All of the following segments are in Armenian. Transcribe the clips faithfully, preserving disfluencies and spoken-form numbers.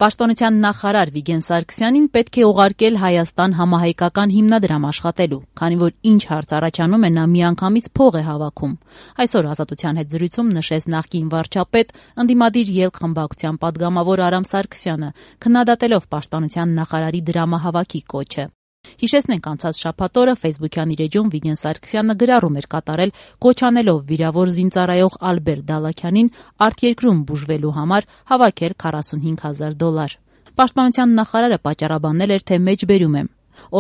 Պաշտպանության նախարար Վիգեն Սարգսյանին պետք է ուղարկել Հայաստան համահայկական հիմնադրամ աշխատելու, քանի որ ինչ հարց առաջանում է նա միանգամից փող է հավաքում։ Այսօր Ազատության հետ զրույցում նշեց նախկին վարչապետ, ընդդիմադիր ելք խմբակցության պատգամավոր Արամ Սարգսյանը, քննադատելով պաշտպանության նախարարի դրամահավաքի կոչը։ Հիշեցնենք, անցած շաբաթ օրը Facebook-յան իր էջում Վիգեն Սարգսյանը գրառում էր կատարել, կոչ անելով վիրավոր զինծառայող Ալբերտ Դալաքյանին արտերկրում բուժվելու համար հավաքել քառասունհինգ հազար դոլար։ Պաշտպանության նախարարը պատճառաբանել էր, թե մեջբերում եմ։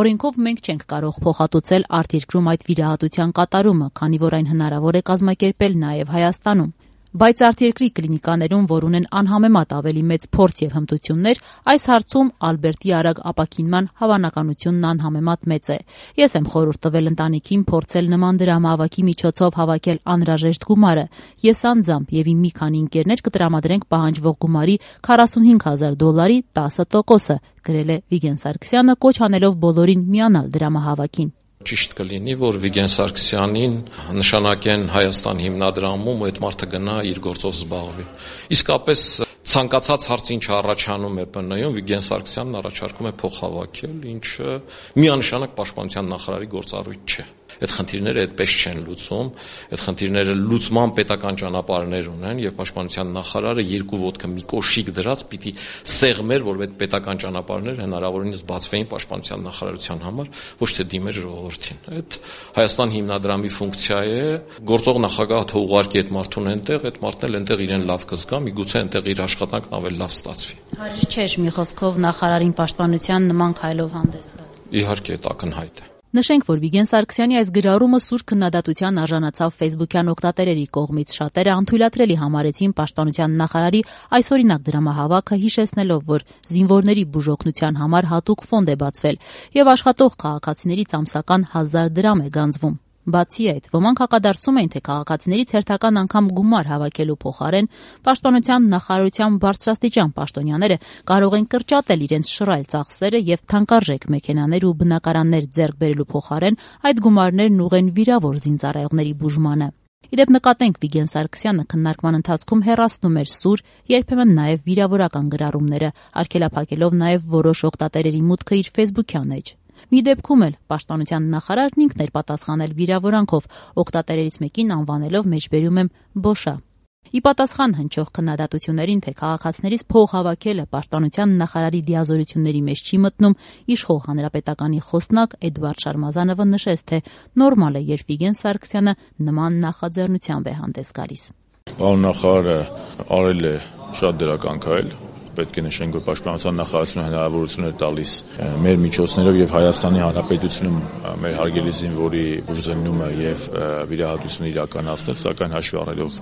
Օրենքով մենք չենք կարող փոխհատուցել արտերկրում այդ վիրահատության կատարումը, քանի որ այն հնարավոր է կազմակերպել նաև Հայաստանում։ Բայց արտերկրի կլինիկաներում, որ ունեն անհամեմատ ավելի մեծ փորձ եւ հմտություններ, այս հարցում Ալբերտի արագ ապաքինման հավանականությունն անհամեմատ մեծ է։ Ես եմ խորհուրդ տվել ընտանիքին փորձել նման դրամահավաքի միջոցով հավաքել անհրաժեշտ գումարը։ Ես անձամբ եւ իմ մի քանի ընկերներ կտրամադրենք պահանջվող գումարի քառասունհինգ հազար դոլարի տասը տոկոսը, գրել է Վիգեն Սարգսյանը, կոչ անելով բոլորին միանալ դրամահավաքին։ Ճիշտ կլինի, որ Վիգեն Սարգսյանին նշանակեն Հայաստան հիմնադրամում ու այդ մարդը գնա իր գործով զբաղվի։ Իսկապես ցանկացած հարց ինչ առաջանում է ՊՆ-ում, Վիգեն Սարգսյանն առաջարկում է փող հավաքել, ինչը միանշանակ պաշտպանության նախարարի գործառույթ չէ։ Այդ խնդիրները այդպես չեն լուծում, այդ խնդիրները լուծման պետական ճանապարհներ ունեն եւ պաշտպանության նախարարը երկու ոտքը մի կոշիկ դրած պիտի սեղմեր, որ այդ պետական ճանապարհները հնարավորինս բացվեին պաշտպանության նախարարության համար, ոչ թե դիմեր ժողովրդին։ Այդ Հայաստան հիմնադրամի ֆունկցիա է, գործող նախագահը թող ուղարկի այդ մարդուն այնտեղ, այդ մարդն էլ այնտեղ իրեն լավ կզգա, միգուցե այնտեղ իր աշխատանքն ավելի լավ ստացվի։ Հարիշ չէ, մի խոսքով նախարարին պաշտպանության նման քայլով հանդես գալ։ Իհարկե, դա ակնհայտ է։ Նշենք, որ Վիգեն Սարգսյանի այս գրառումը սուր քննադատության արժանացավ Facebook-յան օգտատերերի կողմից։ Շատերը անթույլատրելի համարեցին պաշտպանության նախարարի այսօրինակ դրամահավաքը, հիշեցնելով, որ զինվորների բուժօգնության համար հատուկ ֆոնդ է բացվել եւ աշխատող քաղաքացիներից ամսական հազար դրամ է գանձվում։ Բացի այդ, ոմանք հակադարձում էին, թե քաղաքացիներից հերթական անգամ գումար հավաքելու փոխարեն պաշտպանության նախարարության բարձրաստիճան պաշտոնյաները կարող են կրճատել իրենց շռայլ ծախսերը եւ թանկարժեք մեքենաներ ու բնակարաններ ձեռք բերելու փոխարեն այդ գումարներն ուղղեն վիրավոր զինծառայողների բուժմանը։ Իդեպ նկատենք, Վիգեն Սարգսյանը քննարկման ընթացքում հեռացնում էր սուր, երբեմն նաև վիրավորական գրառումները, արգելափակելով նաև որոշ օգտատերերի մուտքը իր Facebook-յան էջ։ Մի դեպքում էլ պաշտպանության նախարարն ինքն էր պատասխանել վիրավորանքով, օգտատերերից մեկին անվանելով մեջբերում եմ Բոշա։ Ի պատասխան հնչող քննադատություններին, թե քաղաքացիներից փող հավաքելը պաշտպանության նախարարի լիազորությունների մեջ չի մտնում, իշխող հանրապետականի խոսնակ Էդվարդ Շարմազանովը նշեց, թե նորմալ է, երբ Վիգեն Սարգսյանը նման նախաձեռնությամբ է հանդես գալիս։ Պարոն նախարարը արել է շատ դրական քայլ։ Պետք է նշենք, որ պաշտպանության նախարարությունը հնարավորություն է տալիս մեր միջոցներով եւ Հայաստանի Հանրապետությունում մեր հարգելի զինվորի բուժզննումը եւ վիրահատությունը իրականացնել, սակայն հաշվի առնելով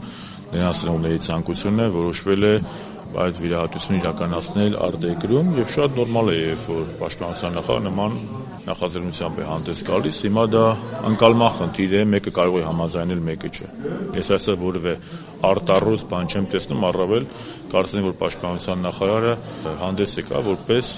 նրանց ծնողների ցանկությունը որոշվել է այդ վիրահատությունը իրականացնել արտերկրում եւ շատ նորմալ է, երբ որ պաշտպանության նախարարը նման նախաձեռնությամբ է հանդես գալիս։ Հիմա դա անկալման խնդիր է, մեկը կարող է համաձայնել, մեկը չէ։ Ես այսօր որևէ արտառոց բան չեմ տեսնում, առավել կարծեմ, որ պաշտպանության նախարարը հանդես եկա որպես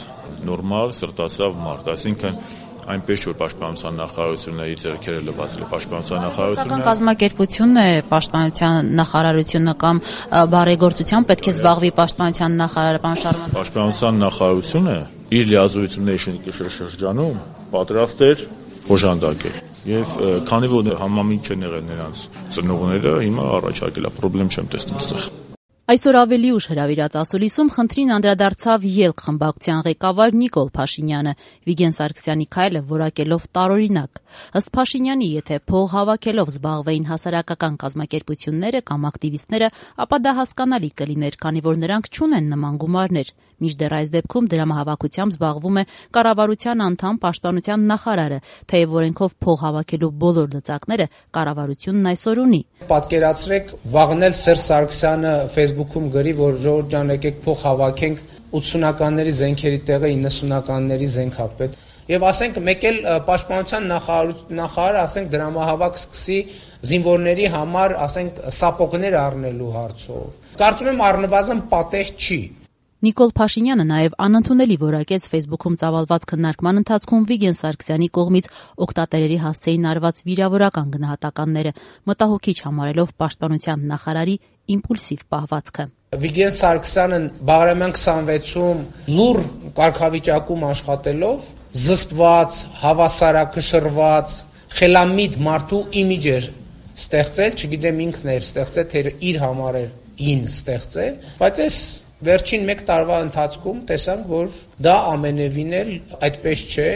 նորմալ սրտասավ մարդ, այսինքն այնպես որ պաշտպանության նախարարությունը իր ձեռքերը լվացել է պաշտպանության նախարարությունը։ Սակայն կազմակերպությունն է պաշտպանության նախարարությունը կամ բարեգործությամբ պետք է զբաղվի պաշտպանության նախարարը, պարոն Շարմազան։ Պաշտպանության նախարարությունը իր լիազորությունների շրջանում պատրաստ էր օժանդակել։ Եվ քանի որ համամիջ չեն եղել նրանց ծնողները, հիմա առաջարկել է, խնդրեմ չեմ տեսնում այստեղ։ Այսօր ավելի ուշ հրավիրած ասուլիսում խնդրին անդրադարձավ ելք խմբակցության ղեկավար Նիկոլ Փաշինյանը, Վիգեն Սարգսյանի քայլը որակելով տարօրինակ։ Ըստ Փաշինյանի, եթե փող հավաքելով զբաղվեին հասարակական կազմակերպությունները կամ ակտիվիստները, ապա դա հասկանալի կլիներ, քանի որ նրանք չունեն նման գումարներ։ Մինչդեռ այս դեպքում դրամահավաքությամբ զբաղվում է կառավարության անդամ պաշտպանության նախարարը, թեև օրենքով փող հավաքելու բոլոր լծակները կառավարությունն այսօր ունի։ Պատկերացրեք, վաղն էլ Սերժ Սարգսյանը Facebook-ում գրի, որ ժողովուրդ ջան, եկեք փող հավաքենք, ութսունականների զենքերի տեղը իննսունականների զենք ա պետք։ Եվ ասենք մեկ էլ պաշտպանության նախարարը ասենք դրամահավաք սկսի զինվորների համար, ասենք սապոգներ առնելու հարցով։ Կարծում եմ առնվազն պատեհ չի։ Նիկոլ Փաշինյանը նաև անընդունելի որակեց Facebook-ում ծավալված քննարկման ընթացքում Վիգեն Սարգսյանի կողմից օգտատերերի հասցեին արված վիրավորական գնահատականները, մտահոգիչ համարելով պաշտպանության նախարարի իմպուլսիվ պահվածքը։ Վիգեն Սարգսյանը Բաղրամյան քսանվեցում լուր կարգավիճակում աշխատելով զսպված, հավասարակշռված, խելամիտ մարդու իմիջ էր ստեղծել, չգիտեմ ինքն էր ստեղծել, թե իր համար էր ին ստեղծել, բայց այս վերջին մեկ տարվա ընթացքում տեսանք, որ դա ամենևին էլ այդպես չէ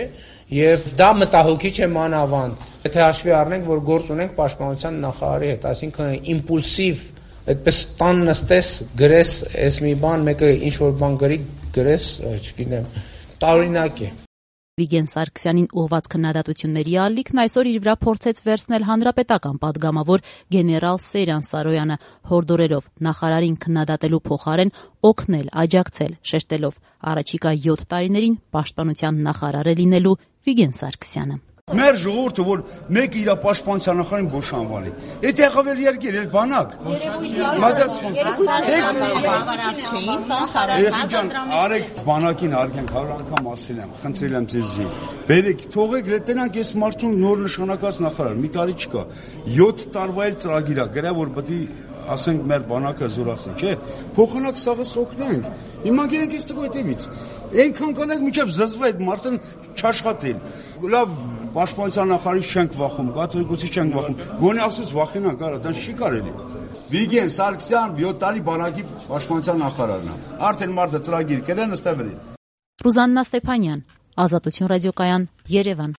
եւ դա մտահոգիչ է մանավանդ։ Եթե հաշվի առնենք, որ գործ ունենք պաշտպանության նախարարի հետ, այսինքն իմպուլսիվ այդպես տան նստես, գրես, այս մի բան, մեկը ինչ որ բան գրի, գրես, չգիտեմ, տարօրինակ է։ Վիգեն Սարգսյանին ուղղված քննադատությունների ալիքն այսօր իր վրա փորձեց վերցնել հանրապետական պատգամավոր գեներալ Սեյրան Սարոյանը, հորդորելով նախարարին քննադատելու փոխարեն օգնել, աջակցել, շեշտելով առաջիկա յոթ տարիներին պաշտպանության նախարար է լինելու Վիգեն Սարգսյանը։ Մեր ժողովուրդը, որ մեկը իր պաշտպանության նախարարին բոշանվալի, այդ եղավ էլ երկիր, էլ բանակ։ Արեք բանակին արգենք, հարյուր անգամ ասել եմ, խնդրել եմ ձեզի։ Բերեք, թողեք, լետենանք ես մարդուն նոր նշանակած նախարար, մի տարի չկա։ յոթ տարվա էլ ծրագիր է, գրա որ պետք է ասենք մեր բանակը զորացնի, չէ՞։ Փոխանակ սաղս օգնենք։ Հիմա գերենք այս տղու հետևից։ Այնքան կանենք միջև զզվի այդ մարդն չաշխատել։ Լավ պաշտպանության նախարարից չենք վախում, կաթողիկոսից չենք վախում։ Գոնե ասուց վախենանք, արա, դա չի կարելի։ Վիգեն Սարգսյան յոթ տարի բանակի պաշտպանության նախարարն է։ Արդեն մարդը ծրագիր կրեն, ըստեղ վրին։ Ռուզաննա Ստեփանյան, Ազատություն ռադիոկայան, Երևան։